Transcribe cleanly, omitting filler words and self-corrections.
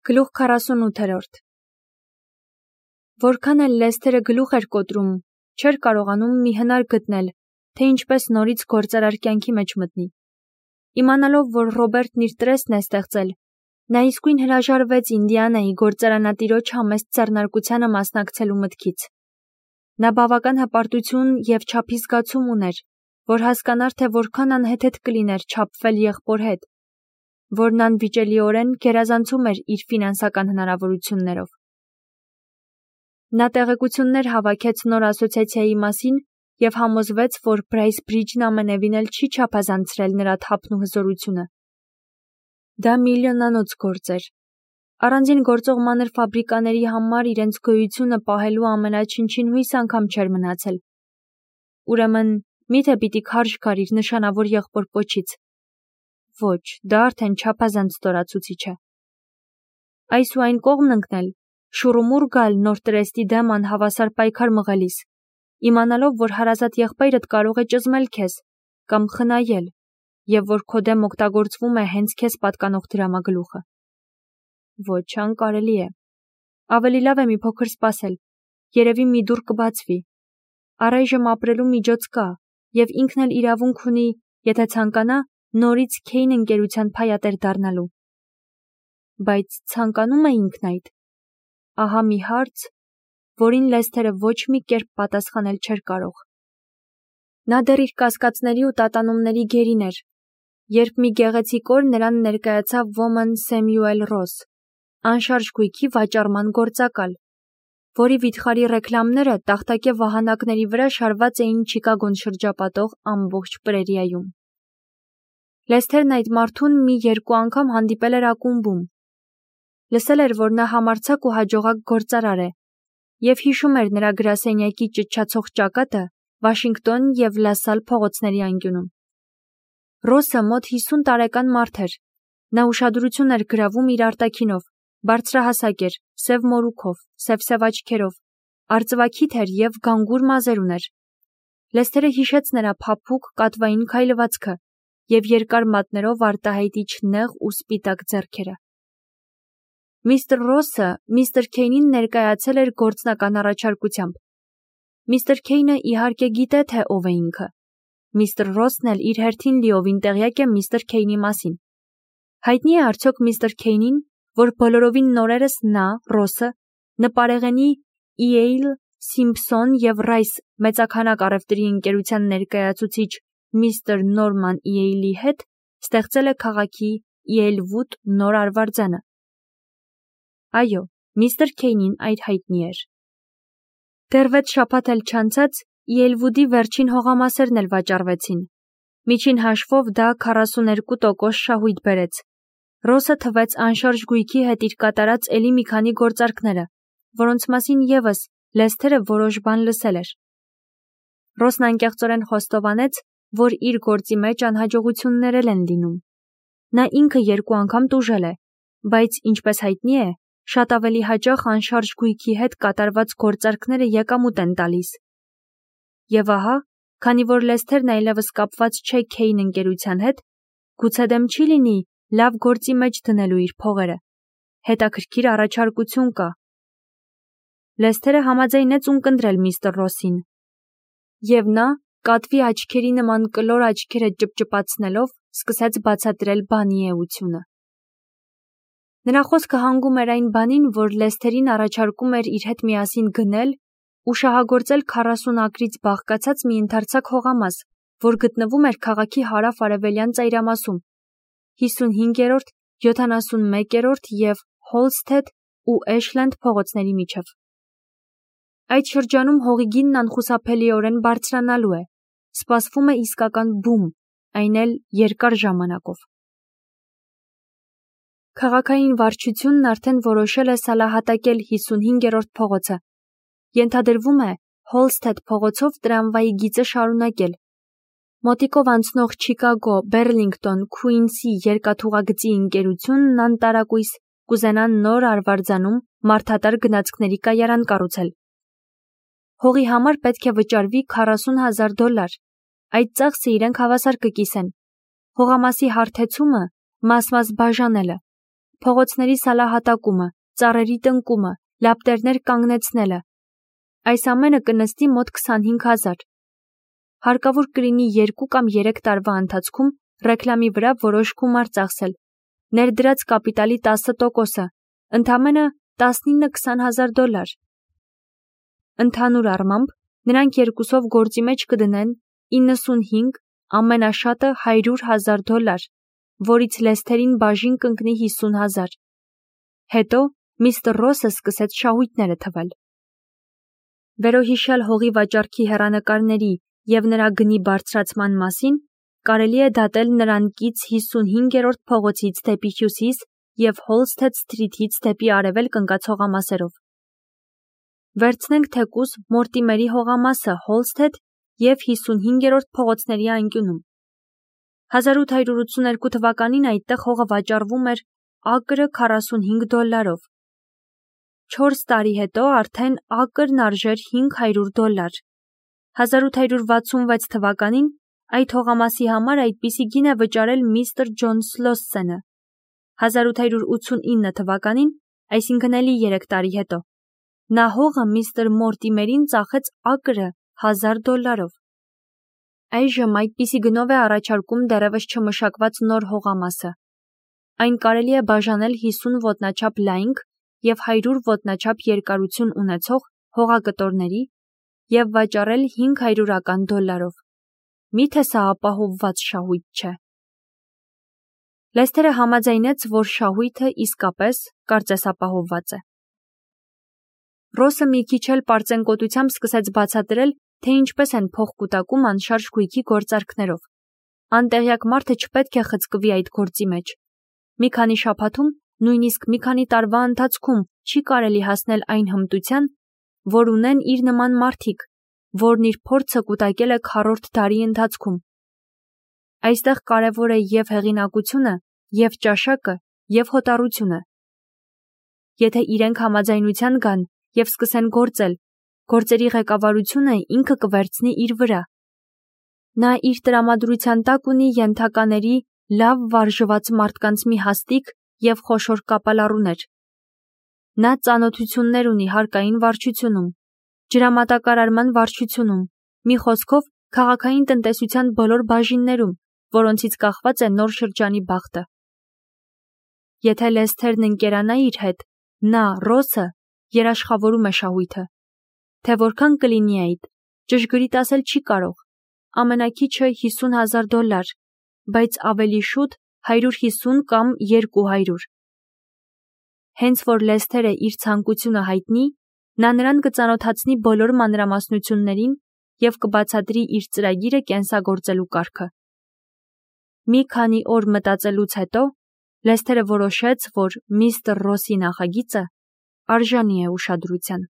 Գլուխ 48 Որքան էլ Լեսթերը գլուխ էր կոտրում, չէր կարողանում մի հնար գտնել, թե ինչպես նորից գործարար կյանքի մեջ մտնի։ Իմանալով, որ Ռոբերտն իր տրեսն է ստեղծել, նա իսկույն հրաժարվեց Ինդիանայի գործարանատիրոջ համեստ ձեռնարկությանը մասնակցելու մտքից։ Նա բավական հպարտություն և չափի զգացում ուներ, որ հասկանար, թե որքան անհեթեթ կլիներ չափվել եղբոր հետ, որն անվիճելիորեն գերազանցում էր իր ֆինանսական հնարավորություններով։ Նա տեղեկություններ հավաքեց նոր ասոցիացիայի մասին և համոզվեց, որ Բրայս Բրիջն ամենևին էլ չի չափազանցրել նրա թափն ու հզորությունը։ Դա միլիոնանոց գործ էր։ Առանձին գործող մանր ֆաբրիկաների համար իրենց գոյությունը պահելու ամենաչնչին հույս անգամ չէր մնացել։ Ուրեմն, միթե պիտի քարշ գար իր նշանավոր եղբոր պոչից։ Ոչ, դա արդեն չափազանց ստորացուցիչ է։ Այս ու այն կողմն ընկնել, շուռումուռ գալ նոր տրեստի դեմ անհավասար պայքար մղելիս, իմանալով, որ հարազատ եղբայրդ կարող է ճզմել քեզ կամ խնայել, և որ քո դեմ օգտագործվում է հենց քեզ պատկանող դրամագլուխը։ Ոչ, անկարելի է։ Ավելի լավ է մի փոքր սպասել, երևի մի դուռ կբացվի։ Առայժմ ապրելու միջոց կա, և ինքն էլ իրավունք ունի, եթե ցանկանա, նորից Քեյն ընկերության փայատեր դառնալու։ Բայց ցանկանում է ինքն այդ։ Ահա մի հարց, որին Լեսթերը ոչ մի կերպ պատասխանել չէր կարող։ Նա դեռ իր կասկածների ու տատանումների գերին էր, երբ մի գեղեցիկ օր նրան ներկայացավ ոմն Սեմյուել Ռոս, անշարժ գույքի վաճառման գործակալ, որի վիթխարի ռեկլամները տախտակե վահանակների վրա շարված էին Չիկագոն շրջապատող ամբողջ պրերիայում։ Լեսթերն այդ մարդուն մի երկու անգամ հանդիպել էր ակումբում։ Լսել էր, որ նա համարձակ ու հաջողակ գործարար է, և հիշում էր նրա գրասենյակի ճչացող ճակատը Վաշինգտոն և Լասալ փողոցների անկյունում։ Ռոսը մոտ 50 տարեկան մարդ էր։ Նա ուշադրություն էր գրավում իր արտաքինով, բարձրահասակ էր, սև մորուքով, սև աչքերով, արծվաքիթ էր և գանգուր մազեր ուներ։ Լեսթերը հիշեց նրա փափուկ, կատվային քայլվածքը և երկար մատներով արտահայտիչ նեղ ու սպիտակ ձեռքերը։ Միսթր Ռոսը միստր Քեյնին ներկայացել էր գործնական առաջարկությամբ։ Միստր Քեյնը իհարկե գիտե, թե ով է ինքը։ Միստր Ռոսն էլ իր հերթին լիովին տեղյակ է միստր Քեյնի մասին։ Հայտնի է արդյոք միստր Քեյնին, որ բոլորովին նորերս նա, Ռոսը, նպարեղենի Իեյլ, Սիմփսոն և Ռայս մեծաքանակ առևտրի ընկերության ներկայացուցիչ միստր Նորման Իեյլի հետ ստեղծել է քաղաքի Իեյլվուդ նոր արվարձանը։ Այո, միստր Քեյնին այդ հայտնի էր։ Դեռ 6 շաբաթ էլ չանցած Իեյլվուդի վերջին հողամասերն էլ վաճառվեցին։ Միջին հաշվով դա 42% շահույթ բերեց։ Ռոսը թվեց անշարժ գույքի հետ իր կատարած էլի մի քանի գործարքները, որոնց մասին ևս Լեսթերը որոշ բան լսել էր։ Ռոսն անկեղծորեն խոստովանեց, որ իր գործի մեջ անհաջողություններ են լինում։ Նա ինքը 2 անգամ տուժել է, բայց, ինչպես հայտնի է, շատ ավելի հաճախ անշարժ գույքի հետ կատարված գործարքները եկամուտ են տալիս։ Եվ ահա, քանի որ Լեսթերն այլևս կապված չէ Քեյն ընկերության հետ, գուցե դեմ չի լինի լավ գործի մեջ դնելու իր փողերը։ Հետաքրքիր առաջարկություն կա։ Լեսթերը համաձայնեց ունկնդրել միստր Ռոսին։ Եվ նա, կատվի աչքերի նման կլոր աչքերը ճպճպացնելով, սկսեց բացատրել բանի էությունը։ Նրա խոսքը հանգում էր այն բանին, որ Լեսթերին առաջարկում էր իր հետ միասին գնել ու շահագործել 40 ակրից բաղկացած մի ընդարձակ հողամաս, որ գտնվում էր քաղաքի հարավ-արևելյան ծայրամասում, 55-րդ, 71-րդ և Հոլսթեդ ու Էշլենդ փողոցների միջև։ Այդ շրջանում հողի գինն անխուսափելիորեն բարձրանալու է, սպասվում է իսկական բում, այն էլ երկար ժամանակով։ Քաղաքային վարչությունն արդեն որոշել է սալահատակել 55-րդ փողոցը։ Ենթադրվում է Հոլսթեդ փողոցով տրամվայի գիծը շարունակել։ Մոտիկով անցնող Չիկագո, Բեռլինգտոն, Քուինսի երկաթուղագծի ընկերությունն անտարակույս կուզենան նոր արվարձանում մարդատար գնացքների կայարան կառուցել։ Հողի համար պետք է վճարվի $40,000։ Այդ ծախսը իրենք հավասար կկիսեն։ Հողամասի հարթեցումը, մաս-մաս բաժանելը, փողոցների սալահատակումը, ծառերի տնկումը, լապտերներ կանգնեցնելը։ Այս ամենը կնստի մոտ 25,000։ Հարկավոր կլինի 2 կամ 3 տարվա ընթացքում ռեկլամի վրա որոշ գումար ծախսել, ներդրած կապիտալի 10%-ը, ընդամենը $19,000-20,000։ Ընդհանուր առմամբ, նրանք երկուսով գործի մեջ կդնեն 95, ամենաշատը $100,000, որից Լեսթերին բաժին կընկնի 50,000։ Հետո միստր Ռոսը սկսեց շահույթները թվել։ Վերոհիշյալ հողի վաճառքի հեռանկարների և նրա գնի բարձրացման մասին կարելի է դատել նրան կից 55-րդ փողոցից դեպի հյուսիս և Հոլսթեդ Սթրիթից դեպի արևելք ընկած հողամասերով։ Վերցնենք թեկուզ Մորտիմերի հողամասը Հոլսթեդ և 55-րդ փողոցների անկյունում։ 1882 թվականին այդտեղ հողը վաճառվում էր ակրը $45։ 4 տարի հետո արդեն ակրն արժեր $500։ 1866 թվականին այդ հողամասի համար այդպիսի գին է վճարել միստր Ջոն Սլոսսենը։ 1889 թվականին, այսինքն էլի 3 տարի հետո, նա հողը միստր Մորտիմերին ծախեց ակրը $1000։ Այժմ այդպիսի գնով է առաջարկում դեռևս չմշակված նոր հողամասը։ Այն կարելի է բաժանել 50 ոտնաչափ լայնք և 100 ոտնաչափ երկարություն ունեցող հողակտորների և վաճառել $500։ Միթե սա ապահովված շահույթ չէ։ Լեսթերը համաձայնեց, որ շահույթը իսկապես կարծես ապահովված է։ Ռոսը մի քիչ էլ պարծենկոտությամբ սկսեց բացատրել, թե ինչպես են փող կուտակում անշարժ գույքի գործարքներով։ Անտեղյակ մարդը չպետք է խցկվի այդ գործի մեջ։ Մի քանի շաբաթում, նույնիսկ մի քանի տարվա ընթացքում չի կարելի հասնել այն հմտության, որ ունեն իր նման մարդիկ, որն իր փորձը կուտակել է 4-րդ դարի ընթացքում։ Այստեղ կարևոր է և հեղինակությունը, և ճաշակը, և հոտառությունը։ Եթե իրենք համաձայնության գան և սկսեն գործել, գործերի ղեկավարությունը ինքը կվերցնի իր վրա։ Նա իր տրամադրության տակ ունի ենթակաների լավ վարժված մարդկանց մի հաստիկ և խոշոր կապալառուներ։ Նա ծանոթություններ ունի հարկային վարչությունում, ջրամատակարարման վարչությունում, մի խոսքով քաղաքային տնտեսության բոլոր բաժիններում, որոնցից կախված է նոր շրջանի բախտը։ Եթե Լեսթերն ընկերանա իր հետ, նա, Ռոսը, երաշխավորում է շահույթը։ Թե որքան կլինի այդ, ճշգրիտ ասել չի կարող, ամենաքիչը $50,000, բայց ավելի շուտ 150 կամ 200։ Հենց որ Լեսթերը իր ցանկությունը հայտնի, նա նրան կծանոթացնի բոլոր մանրամասնություններին և կբացատրի իր ծրագիրը կենսագործելու կարգը։ Մի քանի օր մտածելուց հետո Լեսթերը որոշեց, որ միստր Ռոսի նախագիծը արժանի է ուշադրության։